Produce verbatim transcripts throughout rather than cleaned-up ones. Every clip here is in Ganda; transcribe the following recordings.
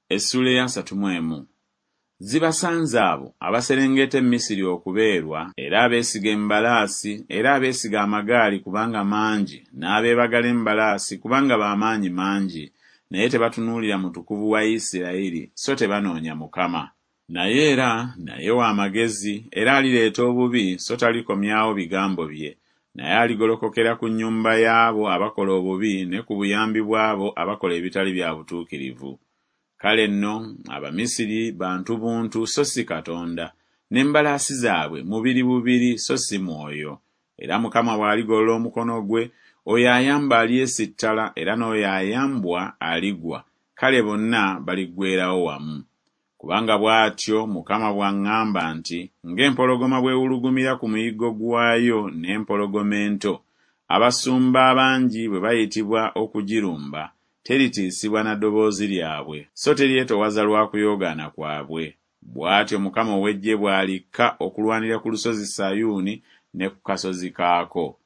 Essuula ey'asatu mu emu. Zibasanze abo abaserengeta e Misiri okubeerwa, era abeesiga embalaasi, era abeesiga amagaali kubanga mangi, n'abeebagala embalaasi kubanga ba maanyi mangi, naye tebatunuulira Mutukuvu wa Isirayiri, so tebanoonya Mukama. Naye era naye wa magezi, era alireeta obubi, so talikomyawo bigambo bye, naye aligolokokera ku nnyumba y'abo abakola obubi ne ku buyambi bw'abo abakola ebitali bya butuukirivu. Kale nno Abamisiri bantu buntu so si Katonda, n'embalaasi zaabwe mubiri bubiri so si mwoyo. Era Mukama bw'aligolola omukono gwe, oyo ayamba alyesittala era n'oyo ayambwa aligwa, kale bonna baliggweerawo wamu. Kubanga bw'atyo Mukama bw'aŋŋamba nti, Ng'empologoma bw'ewulugumira ku muyiggo gwayo n'empologoma ento, abasumba abangi bwe bayitibwa okugirumba, teritiisibwa na ddoboozi lyabwe, so teryetowaza lwa kuyoogaana kwabwe. Bw'atyo Mukama ow'eggye bw'alikka okulwanira ku lusozi Sayuuni ne ku kasozi kaako.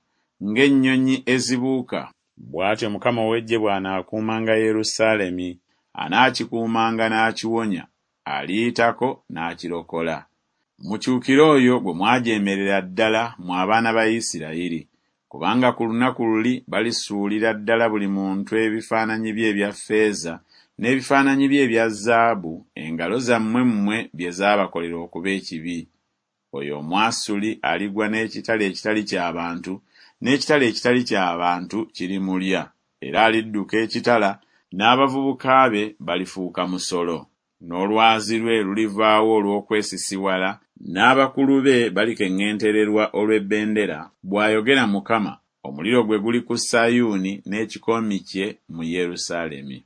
Ng'ennyonyi ezibuuka, bw'atyo Mukama ow'eggye bw'anaakuumanga Yerusaalemi, anaakikuumanga n'akiwonya, aliyitako n'akirokola. Mukyukire oyo gwe mwajeemerera ddala, mmwe abaana ba Isirayiri. Kubanga ku lunaku luli balisuulira ddala buli muntu ebifaananyi bye ebya ffeeza n'ebifaananyi bye ebya zaabu, engalo zammwe mmwe bye zaabakolera okuba ekibi. Oyo Omwasuli aligwa n'ekitala ekitali kya bantu, n'ekitala ekitali kya bantu kirimulya, era alidduka ekitala, n'abavubuka be balifuuka musolo. N'olwazi lwe lulivaawo olw'okwesisiwala, n'abakulu be balikeŋŋentererwa olw'ebbendera, bw'ayogera Mukama, omuliro gwe guli ku Sayuuni n'ekikoomi kye mu Yerusaalemi.